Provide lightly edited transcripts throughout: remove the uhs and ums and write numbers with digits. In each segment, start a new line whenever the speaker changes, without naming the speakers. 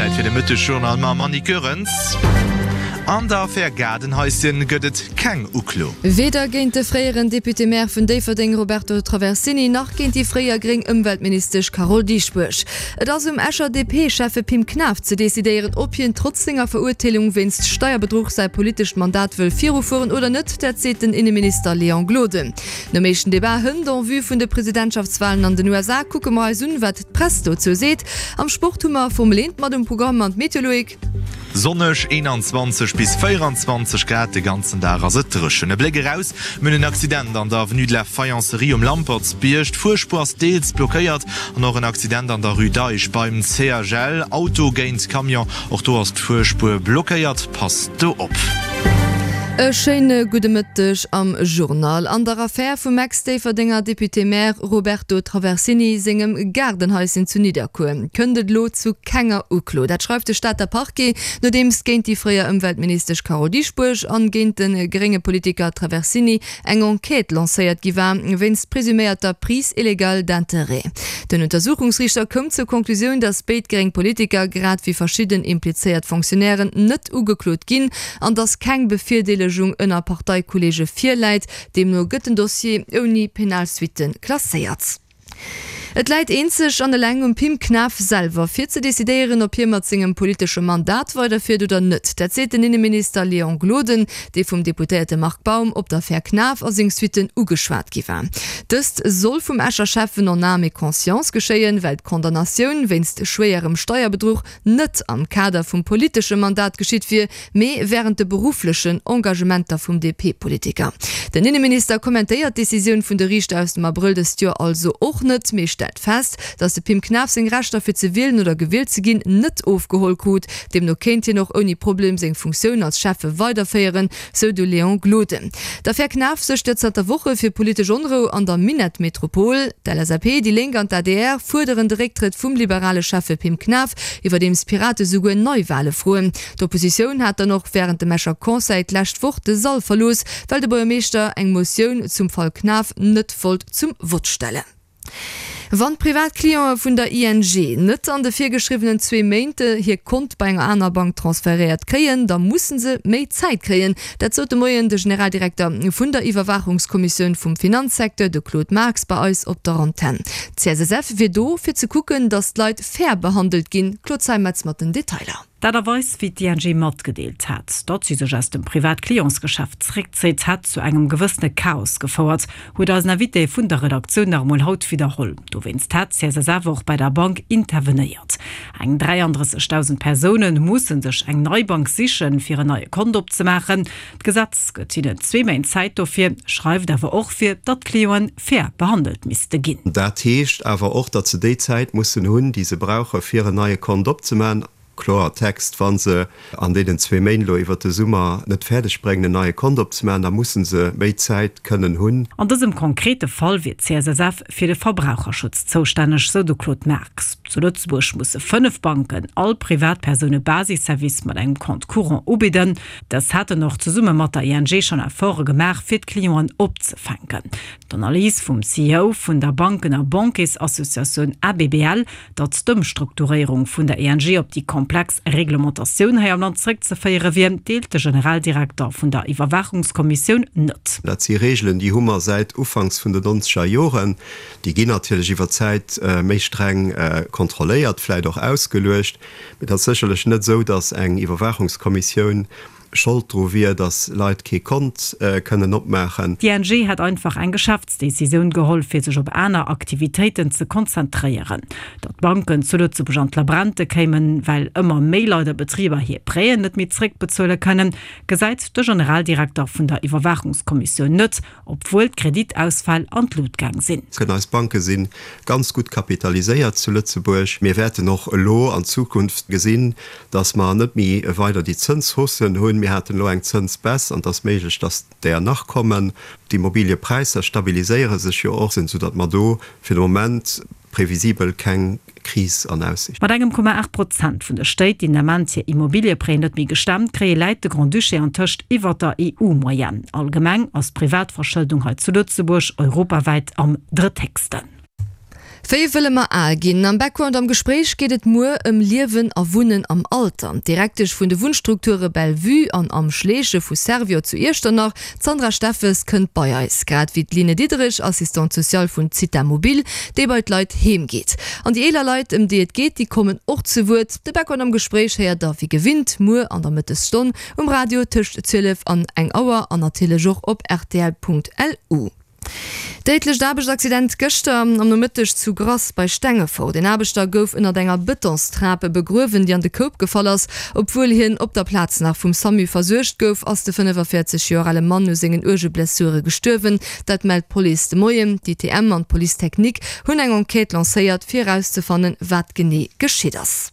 Zäit fir de Mëttesjournal mam Annick Goerens. An der Affär Gaardenhaischen gëtt et keng Uklo.
Weder géint de fréieren Député-Maire vun Déifferdeng Roberto Traversini nach géint déi fréier gréng Ëmweltministesch Carole Dieschbourg. Et ass um Escher DP-Schäffe Pim Knaff ze decidéieren, ob hien trotz senger Verurteelung wéinst Steierbedruch säi politescht Mandat wëll virufueren oder net. Dat seet den Inneminister Léon Gloden. Nom éischten Debat hënt en vue vun de Presidentschaftswalen an den USA kucke mer eis un, wat d'Press dozou seet. Am Sport hu mer Formel 1 mat um Programm an d'Meteo, Loïc.
Sonneg, 21 bis 24 Grad, de ganzen Dag ass et dréchen. E Bléck eraus, Mir hunn en Accident an der Avenue de la Faïencerie um Lampertsbierg, d'Fuerspuer ass deels blockéiert an och en Accident an der Rue d'Eich beim CHL, Auto géint Camion, och do ass d'Fuerspuer blockéiert, passt do op.
E schéine gudde Mëtteg am Journal. An der Affär vum Ex-Déifferdenger Député-Maire Roberto Traversini sengem Gaardenhaischen zu Nidderkuer kënnt et elo zu kenger Uklo. Dat schreift de Stater Parquet, nodeems géint déi fréier Ëmweltministesch Carole Dieschbourg an géint de grénge Politiker Traversini eng Enquête lancéiert gi war wéinst presuméierter Prise illégale d'intérêts. Den Untersuchungsriichter koum zur Konklusioun, datt béid gréng Politiker, grad wéi verschidden implizéiert Fonctionnairen, net ugeklot ginn an datt keng Bevirdeelegung ënner Parteikolleege virläit. Deemno gëtt den Dossier ouni penal Suitte klasséiert. Et läit eenzeg an eleng um Pim Knaff selwer, fir ze decidéieren, ob hie mat sengem politesche Mandat weiderfiert oder net. Dat seet den Inneminister Léon Gloden, dee vum Deputéierte Marc Baum op d'Affär Knaff a seng Suitten ugeschwat gi war. Dëst soll vum Escher Schäffen en âme et conscience geschéien, well d'Condamnatioun wéinst schwéierem Steierbedruch net am Kader vum politesche Mandat geschitt wier, mee wärend de berufflechen Engagementer vum DP-Politiker. Den Inneminister kommentéiert d'Decisioun vun de Riichter aus dem Abrëll dëst Joer also och net, mee stellt fest, datt de Pim Knaff seng Rechter fir ze wielen oder gewielt ze ginn net ofgeholl krut. Deemno kéint hien och ouni Problem seng Funktioun als Schäffe weiderféieren, sou de Léon Gloden. D'Affär Knaff suergt jo zanter Woche fir politesch Onrou an der Minettmetropol. D'LSAP, déi Lénk an d'ADR fuerderen de Récktrëtt vum liberale Schäffe Pim Knaff, iwwerdeems d'Pirate souguer Neiwale froen. D'Oppositioun hat dann och wärend dem Escher Conseil d'lescht Woch de Sall verlooss, well de Buergermeeschter eng Motioun zum Fall Knaff net wollt zum Vott stellen. Wann d'Privatclientë vun der ING net an de virgeschriwwenen zwee Méint hir Kont bei enger aner Bank transferéiert kréien, da musse se méi Zäit kréien. Dat sot de Moien de Generaldirekter vun der Iwwerwaachungskommissioun vum Finanzsecteur, de Claude Marx, bei eis op der Antenn. D'CSSF wier do, fir ze kucken, datt d'Leit fair behandelt ginn. Claude Zeimetz mat den Detailer.
Dat a Weis, wéi d'ING matgedeelt hat, datt si sech aus dem Privat-Clientsgeschäft zeréckzéit, hätt zu engem gewëssene Chaos gefouert, huet eisen Invité vun der Redaktioun nach emol haut widderholl. Dowéinst hätt d'CSSF och bei der Bank intervenéiert. Eng 33.000 Persoune musse sech eng nei Bank sichen, fir en neie Kont opzemaachen. D'Gesetz gëtt hinnen zwee Méint Zäit dofir, schreift awer och vir, datt d'Clienten fair behandelt misste ginn.
Dat heescht awer och, datt se déi Zäit mussen hunn, déi se brauche fir en neie Kont opzemaachen. Kloertext, Wa se an deenen zwee Méint elo iwwert de Summer net fäerdeg bréngen, en neie Kont opzemaachen, da musse se méi Zäit kënnen hunn.
An dësem konkrete Fall wier d'CSSF fir de Verbraucherschutz zoustänneg, sou de Claude Marx. Zu Lëtzebuerg musse 5 Banken all Privatpersoun e Basisservice mat engem Compte courant ubidden. Dës hätten och zesumme mat der ING schonn Efforte gemaach, fir d'Clienten opzefänken. D'Analys vum CEO vun der Banken a Banquiersassociatioun ABBL, datt d'Ëmstrukturéierung vun der ING op déi komplex Reglementatioun hei am Land zeréckzeféiere wier, deelt de Generaldirekter vun der Iwwerwaachungskommissioun net.
Dat si Reegelen, déi hu mer säit ufanks vun den nonzeger Joren. Déi ginn natierlech iwwer d'Zäit méi streng kontrolléiert, vläicht och ausgeluecht. Mee et ass sécherlech net esou, datt eng Iwwerwaachungskommissioun Schold dru wier, datt Leit kee Kont kënnen opmaachen.
D'ING hätt einfach eng Geschäftsdecisioun geholl, fir sech op aner Aktivitéiten ze konzentréieren. Datt d'Banken zu Lëtzebuerg an d'Labrente kéimen, well ëmmer méi Leit a Betriber hir Prêten net méi zréckbezuele kënnen, gesäit de Generaldirekter vun der Iwwerwaachungskommissioun net. Obwuel d'Kreditausfäll an d'Lut gaang sinn.
Eis Banke si ganz gutt kapitaliséiert zu Lëtzebuerg. Mir wäerten och elo an Zukunft gesinn, datt mer net méi weider déi Zënshaussen hunn. Mir haten elo eng Zënsbaisse an et ass méiglech, datt där nach kommen. D'Immobiliëpräisser stabiliséiere sech jo och, soudatt mer do fir de Moment previsibel keng Kris an Aussicht.
Mat engem Komma 8 Prozent vun de Stéit, déi den Ament hir Immobilieprêten net méi gestemmt kréien, läit de Grand-Duché antëscht iwwer der EU-Moyenne. Allgemeng ass d'Privatverschëldung hei zu Lëtzebuerg europawäit am drëtthéchsten.
Wéi wëlle mer al ginn? Am Background am Gespréich geet et muer ëm Liewen a Wunnen am Alter. D'Direktesch vun de Wunnstrukture Belle-Vue an Am Schleeche vu Servior zu Iechternach, d'Sandra Steffes, kënnt bei eis. Grad wéi d'Line Diderich, Assistante sociale vun Zitha Mobil, déi bei d'Leit heem geet. An déi eeler Leit, ëm déi et geet, déi kommen och zu Wuert. De Background am Gespréich héiert der wéi gewinnt muer an der Mëttesstonn um Radio tëscht 12 an eng Auer an natierlech och op rtl.lu. Déidlecht Aarbechtsaccident gëschter am Nomëtteg zu Grass bei Stengefort. Een Aarbechter gouf ënnert enger Bëtonstrap begruewen, déi an de Koup gefall ass. Obwuel hien op der Plaz nach vum Samu versuergt gouf, ass de 45 Joer ale Mann u sengen uerge Blessure gestuerwen. Dat mellt d'Police de Moien. D'ITM an d'Police technique hunn eng Enquête lancéiert, fir erauszefannen, wat genee geschitt ass.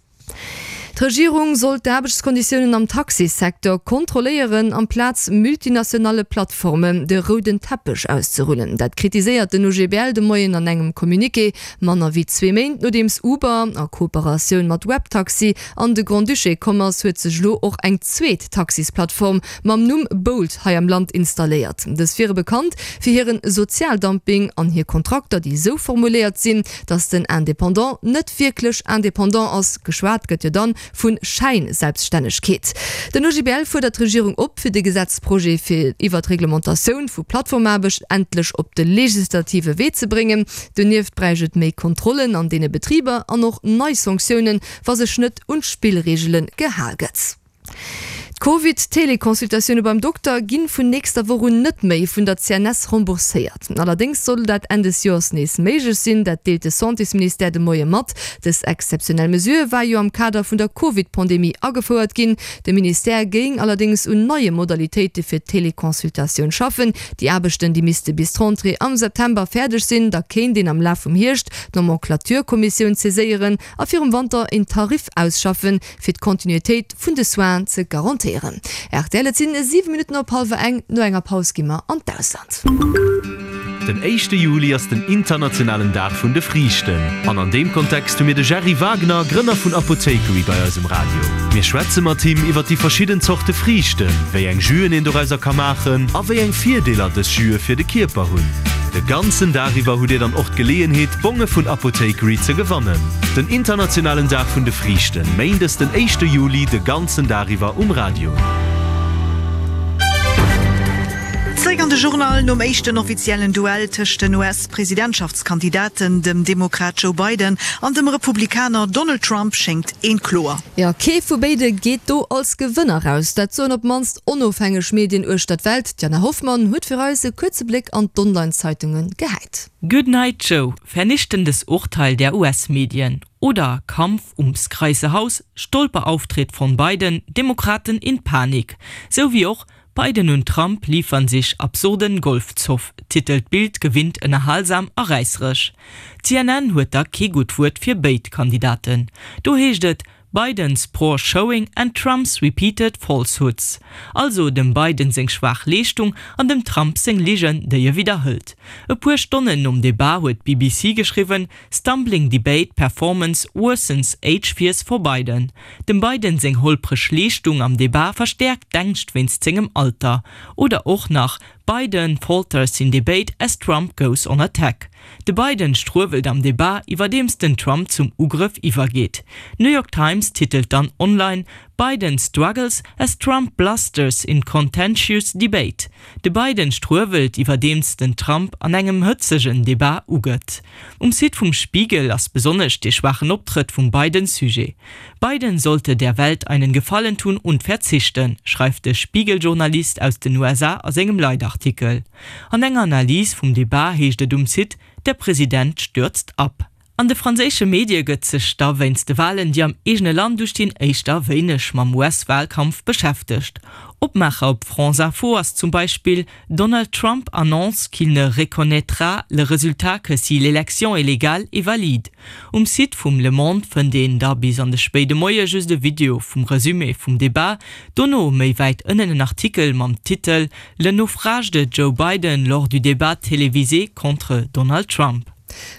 D'Regierung soll d'Aarbechtskonditiounen am Taxisecteur kontrolléieren, amplaz multinationale Plattformen de rouden Teppech auszerullen. Dat kritiséiert den OGBL de Moien an engem Communiqué, manner wéi zwee Méint nodeems Uber a Kooperatioun mat Webtaxi an de Grand-Duché komm ass, huet sech elo och eng zweet Taxisplattform mam Numm Bolt hei am Land installéiert. Dës wiere bekannt fir hiren Sozialdumping an hir Kontrakter, déi esou formuléiert sinn, Datt den Indépendant net wierklech indépendant ass, geschwat gëtt jo dann vu Schäinselbststännegkeet. Den OGBL fuerdert d'Regierung op, fir de Gesetzprojet fir iwwer d'Reglementatioun vu Plattformaarbecht endlech op de legislative Wee ze bréngen. Donieft bräicht et méi Kontrollen an deene Betriber an och nei Sanktiounen, wa sech net un d'Spillreegele gehal gëtt. D'Covid-Teleconsultatioune beim Dokter ginn vun nächster Woch un net méi vun der CNS rembourséiert. Allerdéngs soll dat Enn des Joers nees méiglech sinn, dat deelt de Santésministère de Moie mat. Dës exzeptionell Mesure war jo am Kader vun der Covid-Pandemie agefouert ginn. De Ministère géing allerdéngs un neie Modalitéite fir d'Teleconsultatioun schaffen. Déi Aarbechten, déi misste bis d'Rentrée am September fäerdeg sinn. Da kéint een am Laf vum Hierscht d'Nomenclature-Kommissioun saiséieren a virum Wanter een Tarif ausschaffen, fir d'Kontinuitéit vun de Soinen ze garantéieren. Rtl, Et sinn 7 Minutten op hallwer eng. No enger Paus gi mer an d'Ausland.
Den éischte Juli ass den internationalen Dag vun de Friichten. An an deem Kontext hu mir de Gerry Wagner, Grënner vun Apothekery bei eis um Radio. Mir schwätze mat him iwwer déi verschidden Zorte Friichten, wéi eng Jüen een dorauser ka maachen a wéi eng Virdeeler dës Jüe fir de Kierper hunn. De ganzen Dag iwwer hutt dir dann och d'Geleeënheet, Bonge vun Apothekery ze gewannen. Den internationalen Dag vun de Friichten, méindes den éischte Juli, de ganzen Dag iwwer um Radio.
Zréck an de Journal nom éischten offiziellen Duell tëscht den US-Presidentschaftskandidaten, dem Demokrat Joe Biden an dem Republikaner Donald Trump, schéngt eent kloer.
Jo, kee vu béide geet do als Gewënner raus. Dat soen op d'mannst onofhängeg Medien uechter d'Welt. D'Jana Hoffmann huet fir eis e kuerze Bléck an d'Online-Zeitunge gehäit.
Good Night Joe, vernichtendes Urteil der US-Medien oder Kampf ums Graisse Haus, Stolperauftritt von Biden, Demokraten in Panik, sou wéi och Biden und Trump liefern sich absurden Golfzoff, titelt d'Bild gewinnt ënnerhalsam a räisseresch. CNN huet da kee gutt Wuert fir béid Kandidaten. Do heescht et, Biden's poor showing and Trump's repeated falsehoods. Also dem Biden seng schwaach Leeschtung an dem Trump seng Ligen, déi e widderhëlt. E puer Stonnen nom Debat huet d'BBC geschriwwen, Stumbling debate performance worsens age fears for Biden. Dem Biden seng holpreg Leeschtung am Debat verstäerkt d'Ängscht wéinst sengem Alter. Oder och nach, Biden falters in debate as Trump goes on attack. De Biden struewelt am Debat, iwwerdeems den Trump zum Ugrëff iwwergeet. D'New York Times titelt dann online, Biden struggles as Trump blusters in contentious debate. De Biden struewelt, iwwerdeems den Trump an engem hëtzegen Debat ugëtt. Um Site vum Spiegel ass besonnesch dee schwaachen Optrëtt vum Biden Sujet. Biden sollte der Welt einen Gefallen tun und verzichten, schreift de Spiegel-Journalist aus den USA a sengem Leitartikel. An enger Analys vum Debat heescht et um Site, Der President stürzt ab. An de franséische Medie gëtt sech da wéinst de Walen, déi am eegene Land ustinn, éischter wéineg mam US-Walkampf beschäftegt. Opmaacher op France Info ass zum Beispill, Donald Trump annonce qu'il ne reconnaîtra le résultat que si l'élection est légale et valide. Um Site vum Le Monde fënnt een da bis an de spéide Moie just e Video vum Resumé vum Debat, dono méi wäit ënnen en Artikel mam Titel Le naufrage de Joe Biden lors du débat télévisé contre Donald Trump.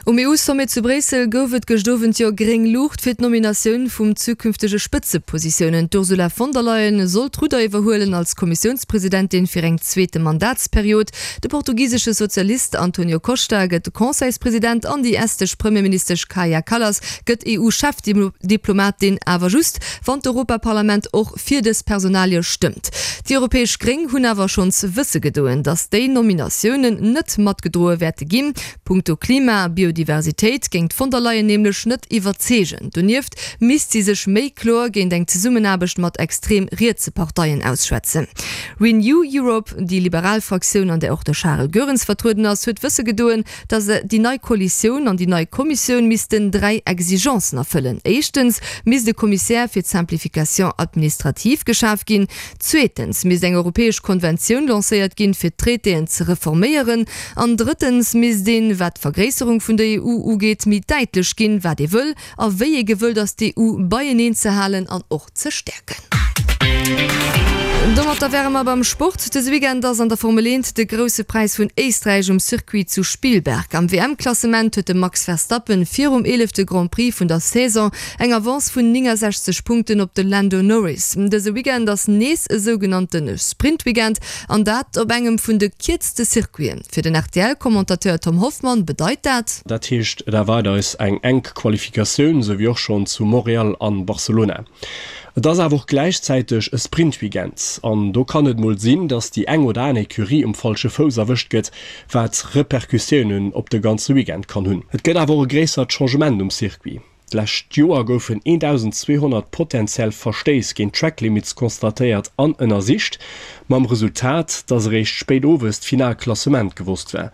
Um EU-Sommet zu Bréissel gouf et gëscht Owend jo gréng Luucht fir d'Nominatioun vum zukünftege Spëtzepositiounen. D'Ursula von der Leyen soll d'Rudder iwwerhuelen als Kommissiounspresidentin fir eng zweete Mandatsperiod. De portugisesche Sozialist Antonio Costa gëtt Conseilspresident an déi estesch Premierministesch Kaja Kallas gëtt EU-Chefdiplomatin, awer just wann d'Europaparlament och fir dës Personalie stëmmt. Déi europäesch Gréng hunn awer schonns wësse gedoen, datt déi Nominatiounen net matgedroe wäerte ginn. Punkto Klima a Biodiversitéit géing d'von der Leyen nämlech net iwwerzeegen. Donieft misst si sech méi kloer géint eng Zesummenaarbecht mat extrem rietse Parteien ausschwätzen. Renew Europe, déi liberal Fraktioun, an där och de Charel Goerens vertrueden ass, huet wësse gedoen, datt déi nei Koalitioun an déi nei Kommissioun missten 3 Exigencen erfëllen. Éischtens misst e Kommissär fir d'Simplification administrative geschaf ginn. Zweetens misst eng europäesch Konventioun lancéiert ginn, fir d'Traitéen ze reforméieren. An drëttens misst een, wat d'Vergréisserung vun der EU ugeet, méi däitlech ginn, wat ee wëll a wéi ee gewëllt ass, d'EU beieneen ze halen an och ze stäerken. Domatter wäre mer beim Sport. Dëse Weekend ass an der Formel 1 de Grousse Präis vun Éisträich um Circuit zu Spielberg. Am WM-Klassement huet de Max Verstappen virum eelefte Grand Prix vun der Saison Eng Avance vun 69 Punkten op de Lando Norris. Dëse Weekend ass nees e sougenannte Sprint-Weekend an dat op engem vun de kierzte Circuiten. Fir den RTL-Commentateur Tom Hoffmann bedeit dat.
Dat heescht, et erwaart eis eng enk Qualifikatioun, sou wéi och schonn zu Montréal an Barcelona. Et ass awer och gläichzäiteg e Sprint-Weekend an do kann et mol sinn, dass déi eng oder aner Ecurie um falsche Fouss erwëscht gëtt, wat Repercussiounen op de ganze Weekend kann hunn. Et gëtt awer och e gréissert Changement um Circuit. D'lescht Joer goufen 1.200 potentiell Verstéiss géint d'Track Limits constatéiert an ënnersicht, mam Resultat, dass eréischt spéit owes d'final Klassement gewosst war.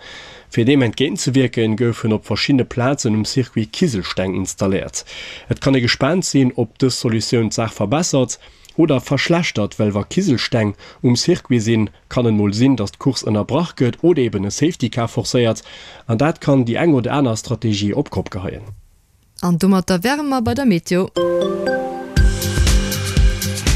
Fir deem entgéintzewierken, goufen op verschiddene Plazen um Circuit Kiselsteng installéiert. Et kann ee gespaant sinn, ob dës Solutioun d'Saach verbessert oder verschlechtert, well wa Kiselsteng um Circuit sinn, kann et mol sinn, dass d'Course ënnerbrach gëtt oder eben e Safety Car forcéiert, an dat kann déi eng oder aner Strategie op d'Kopp geheien.
An domatter wäre mer bei der Meteo.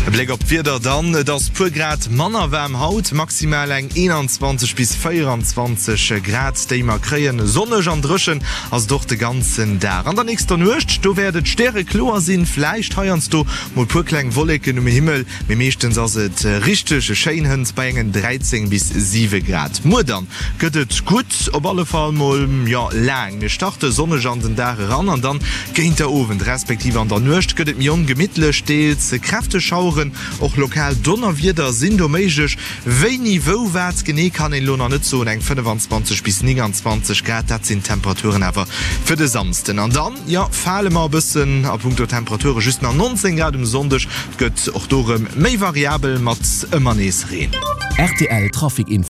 E Bléck op d'Wieder dann, Et ass puer Grad manner waarm haut, maximal eng 21 bis 24 Grad déi mer kréien. Sonneg an dréchen ass et och de ganzen Dag. An der nächster Nuecht, do wäert et stärekloer sinn, vläicht heiansdo mol puer kleng Wolleken um Himmel, mee meeschtens ass et richteg schéin hënt bei engen 13 bis 7 Grad. Muer dann Gëtt et gutt, op alle Fall mol, jo, laang. Mir starte sonneg an den Dag eran an dann géint der Owend respektiv an der Nuecht gëtt et méi ongemittlech, deels kräfteg Schaueren, och lokal Donnerwieder sinn do méiglech. Wéini, wou, wat genee kann een elo nach net soen. Eng 25 bis 29 Grad, dat sinn d'Temperaturen awer fir de Samsden. An dann, jo, fale mer e bëssen a punkto Temperature, just nach 19 Grad um Sonndeg. Et gëtt och do rëm méi variabel mat ëmmer nees Reen.
Rtl Trafic Info.